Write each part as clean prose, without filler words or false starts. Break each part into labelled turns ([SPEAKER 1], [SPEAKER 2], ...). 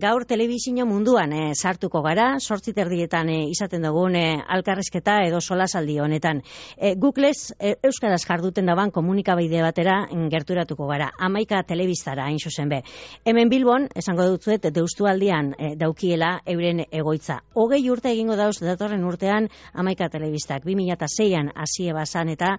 [SPEAKER 1] Gaur telebizio munduan sartuko gara, 8:30 izaten dugun alkarrizketa edo solasaldi honetan. Googlez euskaraz jarduten daban komunikabide batera gerturatuko gara, 11 telebistara hain zuzen be. Hemen Bilbon, esango dutzuet, Deustualdian daukiela euren egoitza. 20 urte egingo dauz datorren urtean 11 telebistak, 2006an hasi bazan eta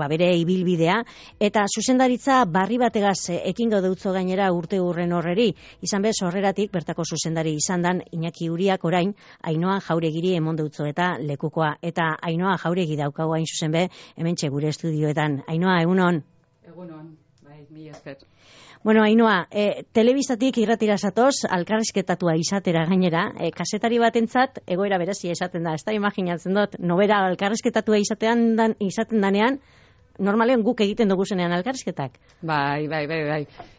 [SPEAKER 1] bere ibilbidea, eta zuzendaritza barri bategaz ekingo deutzo gainera urte urren horreri, izan bez horreratik bertako zuzendari izan dan Iñaki Uriak orain Ainhoa Jauregiri emon deutzo eta lekukoa. Eta Ainhoa Jauregi daukagu hain zuzen be, hementxe gure estudioetan. Ainhoa, egunon?
[SPEAKER 2] Egunon, bai, mila esker.
[SPEAKER 1] Bueno, Ainhoa, telebistatik irratira zatoz, alkarrizketatua izatera gainera, kazetari batentzat egoera berezia esaten da, ez da imaginatzen dut, nobera alkarrizketatua izaten danean, normalean guk egiten dugu zenean alkarrizketak.
[SPEAKER 2] Bai.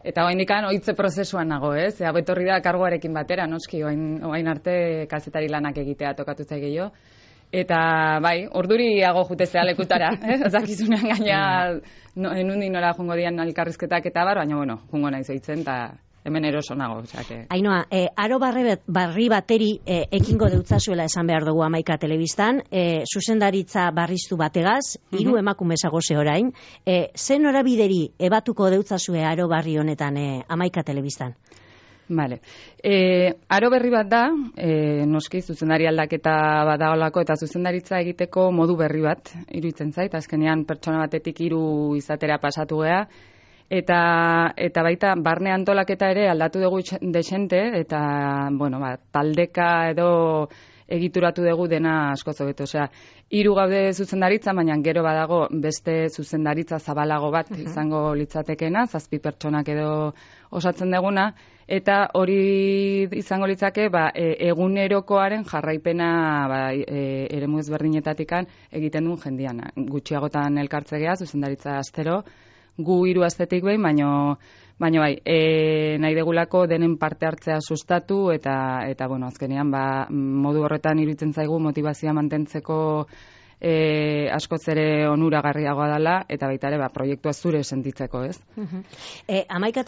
[SPEAKER 2] Eta oainikan oitze prozesuan nago, ez? Etorri da karguarekin batera, noski, oain arte kazetari lanak egitea tokatu zaigeio. Eta bai, orduriago jutezea lekutara, zakizunean gaina enundi nora jungo dian alkarrizketak eta baina bueno, jungo naiz eitzen, eta hemen eroso nago.
[SPEAKER 1] Ainhoa, aro barri bateri ekingo deutzazuela esan behar dugu 11 telebistan, zuzendaritza barriztu bategaz, 3 emakume zagoze orain, zen norabideri ebatuko deutzazue aro barri honetan 11 telebistan?
[SPEAKER 2] Vale. Aro berri bat da, noski zuzendari aldaketa badaolako eta zuzendaritza egiteko modu berri bat, iruditzen zait, azkenean pertsona batetik 3 izatera pasatu gea, eta baita barne antolaketa ere aldatu dugu desente, eta bueno, taldeka edo egituratu dugu dena asko hobeto. Osea, 3 gaude zuzendaritza, baina gero badago beste zuzendaritza zabalago bat izango litzatekena, 7 pertsonak edo osatzen deguna, eta hori izango litzake egunerokoaren jarraipena eremu ezberdinetatikan egiten duen jendian. Gutxiagotan elkartzegea, zuzendaritza astero, gu 3 astetik behin, baina bai, nahi degulako denen parte hartzea sustatu eta bueno, azkenean modu horretan iruditzen zaigu motivazioa mantentzeko askoz ere onuragarriagoa dela, eta baita ere proiektua zure sentitzeko, ez?
[SPEAKER 1] 11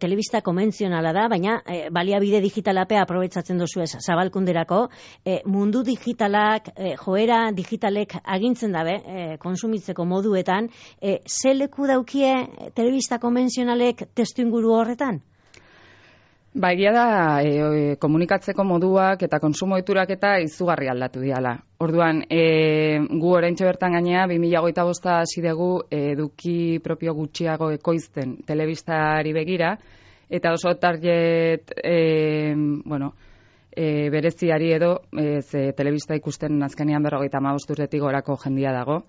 [SPEAKER 1] telebista konbentzionala da, baina baliabide digitalapea aprobetsatzen duzu ez zabalkunderako, mundu digitalak, joera digitalek agintzen dabe, konsumitzeko moduetan, ze leku daukie telebista konbentzionalek testuinguru horretan?
[SPEAKER 2] Egia da, komunikatzeko moduak eta konsumo ohiturak eta izugarri aldatu diala. Orduan, gu oraintxe bertan gainea, 2025 hasi dugu eduki propio gutxiago ekoizten telebistari begira, eta oso target, bereziari edo, telebista ikusten azkenean 55 urtetik gorako jendia dago.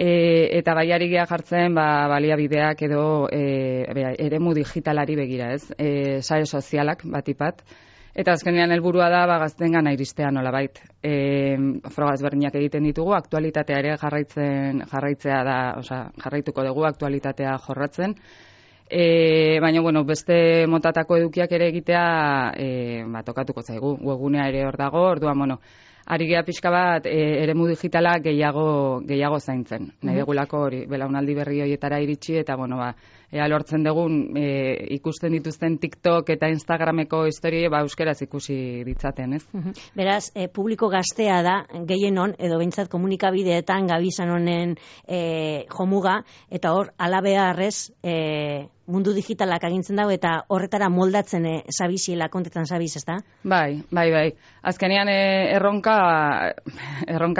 [SPEAKER 2] Eta baiari gea jartzen baliabideak edo eremu digitalari begira, ez? Sare sozialak batipat. Eta azkenean helburua da gaztengana iristea nolabait. Froga ezberdinak egiten ditugu, aktualitatea ere jarraitzea da, jarraituko dugu aktualitatea jorratzen. Baina, bueno, beste motatako edukiak ere egitea tokatuko zaigu. Webgunea ere hor dago, orduan, bueno, ari gea pixka bat eremu digitala gehiago zaintzen. Nahi degulako hori, belaunaldi berri horietara iritsi, eta bueno, ea lortzen dugun ikusten dituzten TikTok eta Instagrameko historie euskeraz ikusi ditzaten, ez?
[SPEAKER 1] Beraz, publiko gaztea da, gehienon, edo behintzat komunikabideetan gabizan honen jomuga, eta hor, alabeharrez, mundu digitalak agintzen dago eta horretara moldatzen zabiziela kontetan zabiz, ez da? Bai.
[SPEAKER 2] Azkenean erronka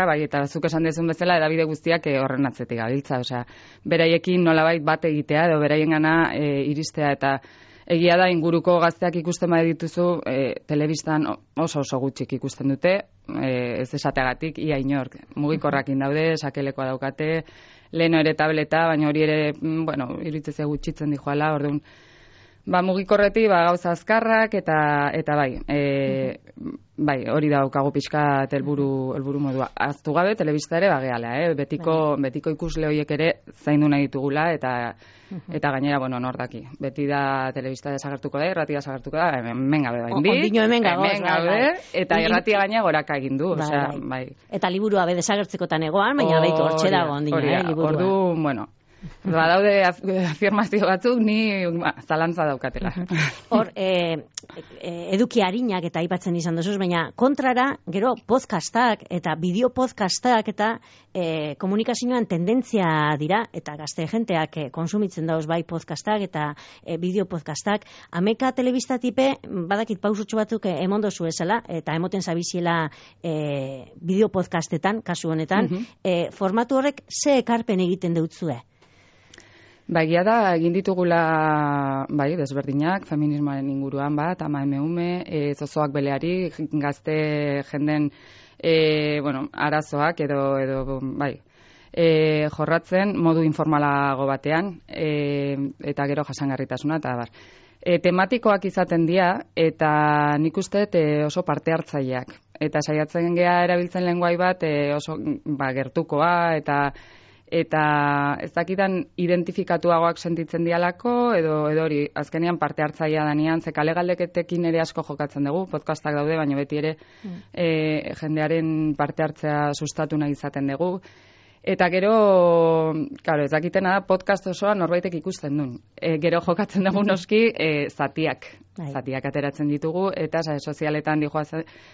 [SPEAKER 2] bai, eta zuk esan dezun bezala edabide guztiak horren atzetik gabiltza, osea, beraiekin nolabait bat egitea edo beraiengana iristea, eta egia da inguruko gazteak ikusten dituzu, telebistan oso gutxik ikusten dute, ez esateagatik, ia inork, mugikorrakin daude, sakelekoa daukate, leheno ere tableta, baina hori ere, bueno, iruditzea gutxitzen dijoala, orduan, mugikorreti gauza azkarrak, eta bai, hori daukagu pixka helburu modua. Aztu gabe, telebista ere bageala, betiko ikusle horiek ere zaindu nahi ditugula, eta gainera, bueno, nordaki. Beti da telebista desagertuko da, irratia desagertuko da, hemen gabe bain di.
[SPEAKER 1] Ondino hemen gabe,
[SPEAKER 2] eta irratia gaina goraka egin du, bai.
[SPEAKER 1] Eta liburua be desagertzekotan egoan, baina hortxe dago ondino, liburua.
[SPEAKER 2] Ordu, bueno, Badaude afirmazio batzuk ni zalantza daukatela.
[SPEAKER 1] Hor, eduki harinak eta aipatzen izan duzuz, baina kontrara, gero podcastak eta bideo podcastak eta komunikazioan tendentzia dira, eta gazte jenteak konsumitzen dauz bai podcastak eta bideo podcastak. Ameka telebistatipe, badakit pausutxo batzuk emon dozu ezela, eta emoten zabiziela bideo podcastetan, kasu honetan, formatu horrek ze ekarpen egiten deutzue?
[SPEAKER 2] Egia da, egin ditugula desberdinak, feminismoaren inguruan bat, ama eme, zozoak beleari, gazte jenden arazoak edo jorratzen modu informalago batean, eta gero jasangarritasuna, eta bar. Tematikoak izaten dira, eta nik uste oso parte hartzaileak. Eta saiatzen gea erabiltzen lenguai bat oso gertukoa, eta ez dakitan identifikatuagoak sentitzen dialako, edo hori, azkenean parte hartzailea danean, ze kale galdeketekin ere asko jokatzen dugu, podcastak daude, baina beti ere jendearen parte hartzea sustatu nahi izaten dugu. Eta gero, ez dakitena da, podcast osoa norbaitek ikusten duen. Gero jokatzen dugu noski zatiak ateratzen ditugu, eta sozialetan dijoa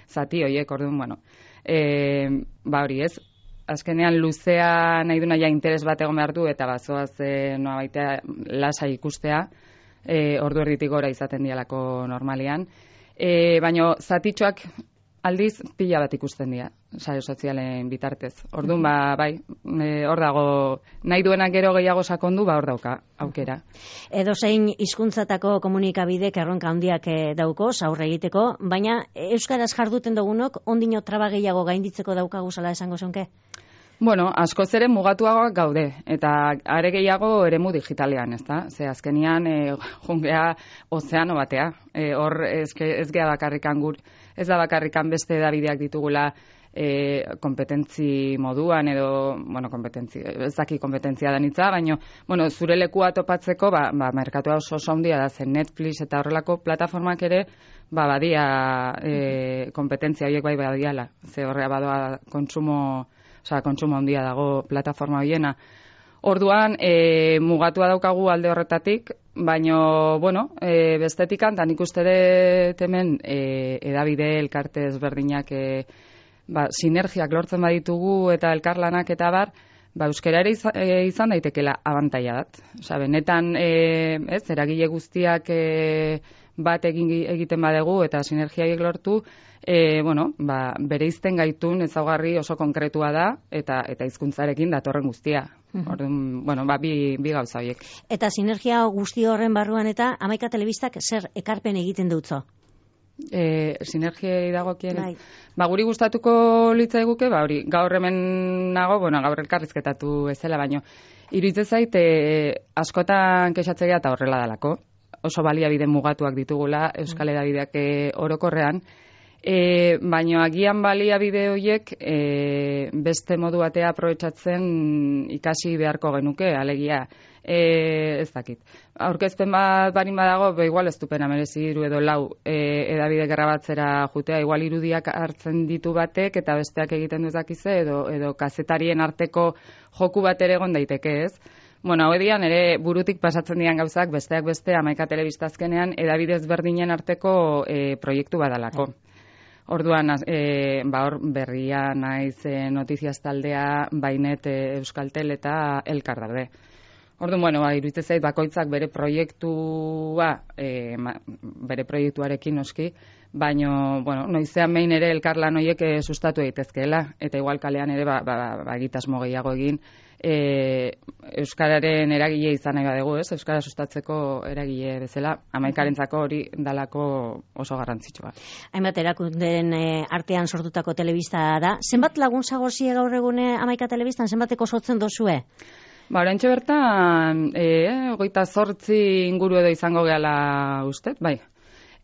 [SPEAKER 2] zati horiek, orduan, hori ez, azkenean luzea nahi duna ja interes bat egon behar du, eta bazoaz noa baitea lasa ikustea, ordu erditik gora izaten dialako normalean. Baina zatitxoak aldiz pila bat ikusten dira, sare sozialen bitartez. Orduan, hor dago, nahi duenak gero gehiago sakondu, hor dauka, aukera.
[SPEAKER 1] Edozein hizkuntzatako komunikabidek erronka handiak dauko, aurre egiteko, baina euskaraz jarduten dugunok, ondino traba gehiago gainditzeko daukagu zala esango zonke?
[SPEAKER 2] Bueno, askoz ere mugatuagoak gaude, eta are gehiago eremu digitalean, ezta? Ze azkenian jungea ozeano batea. Hor ez gea bakarrikan ez da bakarrikan beste edabideak ditugula kompetentzi moduan edo, ez daki kompetentzia danitza, baina, zure lekua topatzeko, merkatua oso handia da, zen Netflix eta horrelako plataformak ere, badia kompetentzia horiek badiala. Ze horrea badoa kontsumo handia dago plataforma horiena. Orduan, mugatua daukagu alde horretatik, baina, bestetikan, eta nik uste dut hemen edabide elkarte ezberdinak sinergiak lortzen baditugu eta elkarlanak eta bar, euskara ere izan daitekela abantaila bat. Benetan, eragile guztiak bat egiten badegu eta sinergiaiek lortu, bereizten gaitun ezaugarri oso konkretua da eta hizkuntzarekin datorren guztia. Orduan, bi gauza horiek.
[SPEAKER 1] Eta sinergia guzti horren barruan eta Hamaika Telebistak zer ekarpen egiten dutzo?
[SPEAKER 2] Sinergiei dagokien. Guri gustatuko litzaiguke, hori, gaur hemen nago, gaur elkarrizketatu ezela, baino iruditzen zait askotan kexatzea eta horrela dalako. Oso baliabide mugatuak ditugula euskal edabideak orokorrean, baina agian baliabide horiek beste modu batea aprobetxatzen ikasi beharko genuke, alegia, ez dakit. Aurkezpen bat barin badago, igual ez dupena merezi 3 edo 4 edabide grabatzera jutea, igual irudiak hartzen ditu batek eta besteak egiten duzakize, edo kazetarien arteko joku bat ere egon daiteke, ez? Hau edian ere burutik pasatzen dian gauzak besteak beste Hamaika Telebista azkenean edabidez berdinen arteko proiektu badalako. Orduan, hor berria naiz notiziaz taldea, Bainet, Euskaltel eta Elkar daude. Orduan, iruditzen zait bakoitzak bere proiektuarekin noski, baina, noizean behin ere elkarlan horiek sustatu daitezkeela, eta igual kalean ere egitasmo gehiago egin, euskararen eragile izan nahi badegu, ez? Euskara sustatzeko eragile bezala, Hamaikarentzako hori dalako oso garrantzitsua.
[SPEAKER 1] Hainbat erakundeen artean sortutako telebista da. Zenbat lagun zagozie gaur egune Hamaika Telebistan, zenbateko sortzen dozue?
[SPEAKER 2] Oraintxe bertan, 28 inguru edo izango gehala ustez, bai.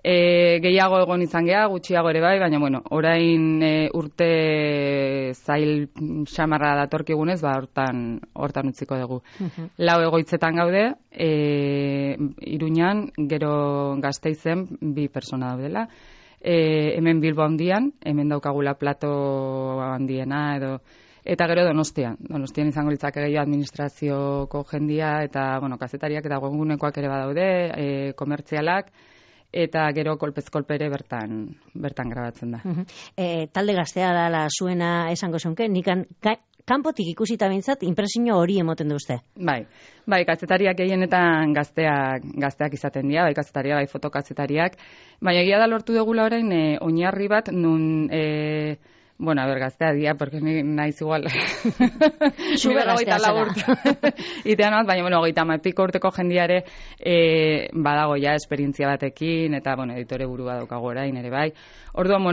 [SPEAKER 2] Gehiago egon izan geha, gutxiago ere bai, baina orain urte zail xamarra datorkigunez, hortan utziko dugu. 4 egoitzetan gaude, Iruñan, gero Gasteizen 2 persona daudela, hemen Bilbo handian, hemen daukagula plato handiena edo Eta gero Donostian izango litzake gehiago administrazioko jendia, eta, bueno, kazetariak eta webgunekoak ere badaude, komertzialak, eta gero kolpez kolpe ere bertan grabatzen da.
[SPEAKER 1] Talde gaztea dela zuena esango zunke, nikan kanpotik ikusita bintzat, impresio hori emoten duzte.
[SPEAKER 2] Bai, kazetariak gehienetan gazteak izaten dira, bai kazetariak, bai fotokazetariak, baina egia da lortu dugula orain oinarri bat, nun... Bueno, gaztea dia, porque naiz igual.
[SPEAKER 1] Zube gaztea zara.
[SPEAKER 2] Itean bat, baina, 30 urteko jendiare badago ja esperientzia batekin, eta, editore buru badaukago orain ere bai. Orduan,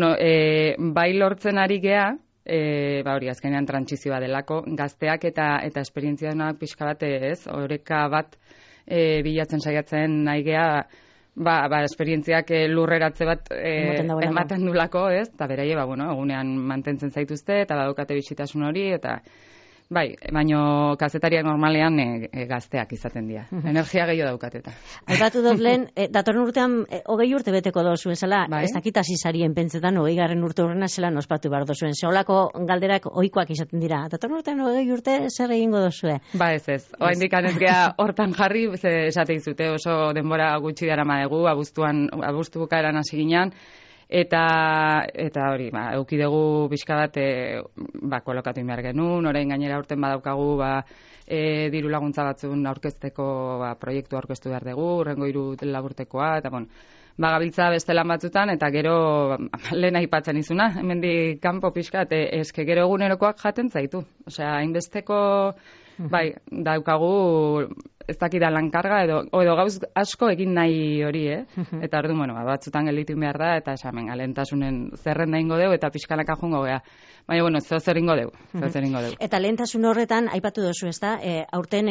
[SPEAKER 2] bai lortzen ari gea, hori azkenean trantsizioa delako, gazteak eta esperientzia denak pixka bat ez, oreka bat bilatzen saiatzen nahi gea, esperientziak lurreratze bat ematen dulako, ez? Eta beraie, egunean mantentzen zaituzte, eta badaukate bisitasun hori, eta baino kazetariak normalean gazteak izaten dira. Energia gehiago daukateta.
[SPEAKER 1] Aipatu dut lehen, datorren urtean 20 urte beteko dozuen zela, ez dakit hasi zarien pentsetan 20. urte horrena zela ospatu behar dozuen. Zeolako galderak ohikoak izaten dira. Datorren urtean 20 urte zer egingo dozue?
[SPEAKER 2] Ez. Oraindik ez gea hortan jarri, esate dizute oso denbora gutxi darama dugu, abuztu bukaeran hasi ginean, eta hori, eduki dugu pixka bat kolokatu behar genuen, orain gainera urten badaukagu diru laguntza batzun aurkezteko proiektu aurkeztu behar dugu, urrengo 3 laburtekoa, eta gabiltza beste lan batzutan, eta gero lehen aipatzen izuna, hemendik kanpo pixka, eske gero egunerokoak jaten zaitu. Osea, hainbesteko daukagu ez dakida lankarga edo gauz asko egin nahi hori, Eta orduan, batzutan gelditu behar da, eta esamen, lehentasunen zerrenda ingo dugu, eta pixkanaka jungo gea. Baina, zer ingo dugu.
[SPEAKER 1] Eta lehentasun horretan, aipatu dozu, ez da, aurten,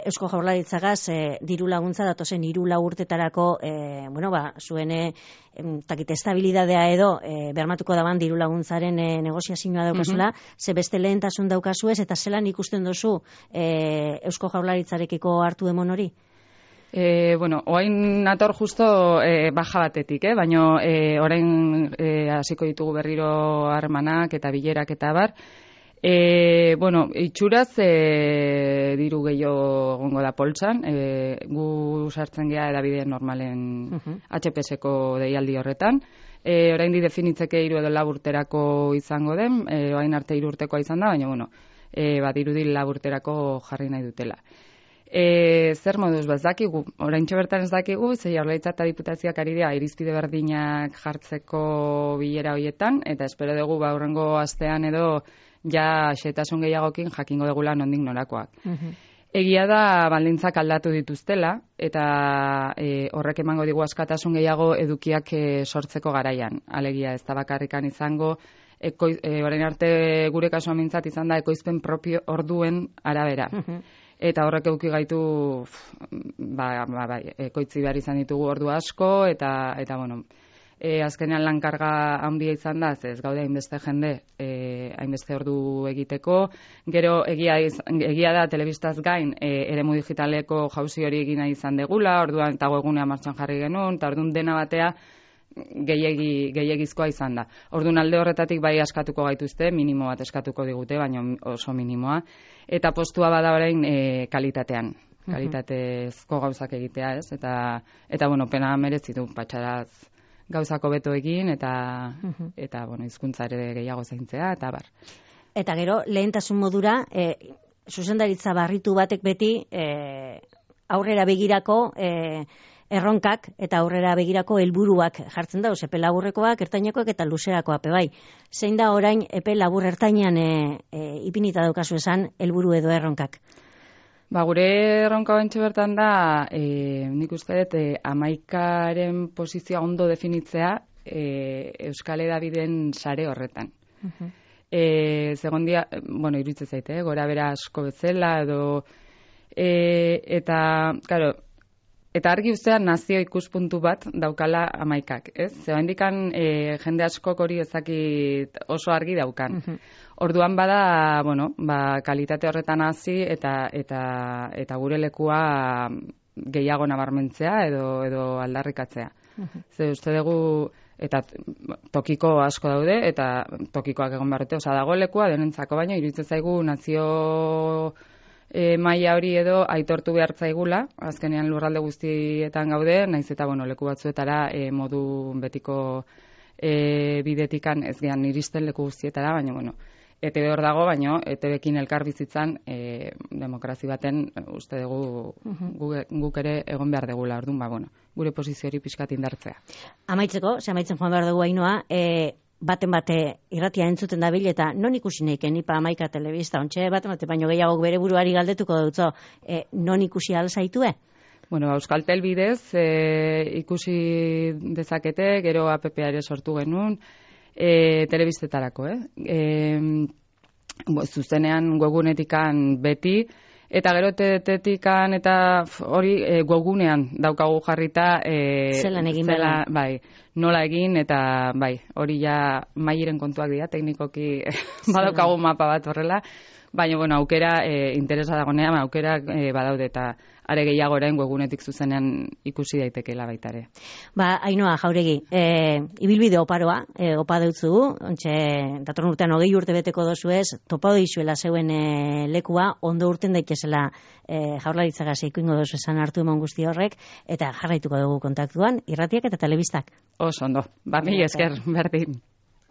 [SPEAKER 1] Eusko Jaurlaritzagaz, diru laguntza datozen 3 urtetarako, zuen, estabilidadea edo, bermatuko daban diru laguntzaren negoziazioa daukazula, ze beste lehentasun daukazuez, eta zelan ikusten dozu Eusko Jaurlaritzarekiko hartu emon hori?
[SPEAKER 2] Oain nator justo baja batetik, baina orain hasiko ditugu berriro harremanak eta bilerak eta bar. Itxuraz diru gehiago egongo da poltsan, gu sartzen gea edabideen normalen HPS-eko deialdi horretan. Orain definitzeke 3 edo 4 urterako izango den, orain arte 3 urtekoa izan da, baina dirudi 4 urterako jarri nahi dutela. Zer moduz, ez dakigu, oraintxo bertan ez dakigu, ze Jaurlaritza eta Diputazioak ari dira irizpide berdinak jartzeko bilera horietan, eta espero dugu aurrengo astean edo ja xehetasun gehiagokin jakingo dugula nondik norakoak. Egia da baldintzak aldatu dituztela, eta horrek emango digu askatasun gehiago edukiak sortzeko garaian. Alegia ez da bakarrikan izango, orain arte gure kasuan mintzat izan da ekoizpen propio orduen arabera. Eta horrek eduki gaitu ekoitzi behar izan ditugu ordu asko, eta azkenean lankarga handia izan da, ez gaude hainbeste jende, hainbeste ordu egiteko. Gero egia da telebistaz gain eremu digitaleko jauzi hori egina izan degula, orduan eta webgunea martxan jarri genuen, eta orduan dena batea gehiegizkoa izan da. Orduan alde horretatik bai askatuko gaituzte, minimo bat eskatuko digute, baina oso minimoa. Eta postua bada orain kalitatean, kalitatezko gauzak egitea, ez? Eta pena merezi du patxaraz gauzako beto egin, eta hizkuntza ere gehiago zaintzea, eta bar.
[SPEAKER 1] Eta gero, lehentasun modura, zuzendaritza barritu batek beti aurrera begirako erronkak eta aurrera begirako helburuak jartzen da, epe laburrekoak, ertainekoak eta luzerakoak bai. Zein da orain epe labur ertainean ipinita daukazu esan helburu edo erronkak?
[SPEAKER 2] Gure erronka bentsu bertan da, nik uste dut, 11aren posizioa ondo definitzea Euskal Hedabideen sare horretan. Segondia, iruditzen zaite, gora bera asko bezala, edo, eta, claro, eta argi ustean nazio ikuspuntu bat daukala 11ak, ez? Oraindikan jende askok hori ezakit oso argi daukan. Orduan bada, kalitate horretan hasi eta gure lekua gehiago nabarmentzea edo aldarrikatzea. Ze uste dugu eta tokiko asko daude, eta tokikoak egon behar dute, dago lekua denentzako, baina iruditzen zaigu nazio maila hori edo aitortu behar zaigula, azkenean lurralde guztietan gaude, naiz eta leku batzuetara modu betiko bidetikan ez gehan iristen leku guztietara, baina ETB hor dago, baina ETBekin elkar bizitzan demokrazi baten uste dugu guk ere egon behar degula, orduan, gure poziziori pixkat indartzea.
[SPEAKER 1] Amaitzeko, amaitzen joan behar dugu Ainhoa, baten bate irratia entzuten dabil eta non ikusi neiken Ipa Hamaika telebista, ontxe baten bate baino gehiago bere buruari galdetuko dutzo, non ikusi alzaitue?
[SPEAKER 2] Euskaltel bidez ikusi dezakete, gero APP-a ere sortu genuen, telebistetarako, zuzenean webgunetikan beti, eta gero TDT-tikan eta hori webgunean daukagu jarrita
[SPEAKER 1] zelan egin bela.
[SPEAKER 2] Bai, nola egin eta bai, hori ja mairen kontuak dira, teknikoki badaukagu mapa bat horrela, baina aukera interesa dagonean, aukera badaude eta are gehiago orain webgunetik zuzenean ikusi daitekeela baita ere.
[SPEAKER 1] Ainhoa Jauregi, ibilbide oparoa, opa deutzugu, ontxe, datorren urtean 20 urte beteko dozu ez, topa dizuela zeuen lekua, ondo urten daitezela Jaurlaritzagaz ikuingo dozu esan hartu eman guzti horrek, eta jarraituko dugu kontaktuan, irratiak eta telebistak.
[SPEAKER 2] Oso ondo, mila esker, berdin.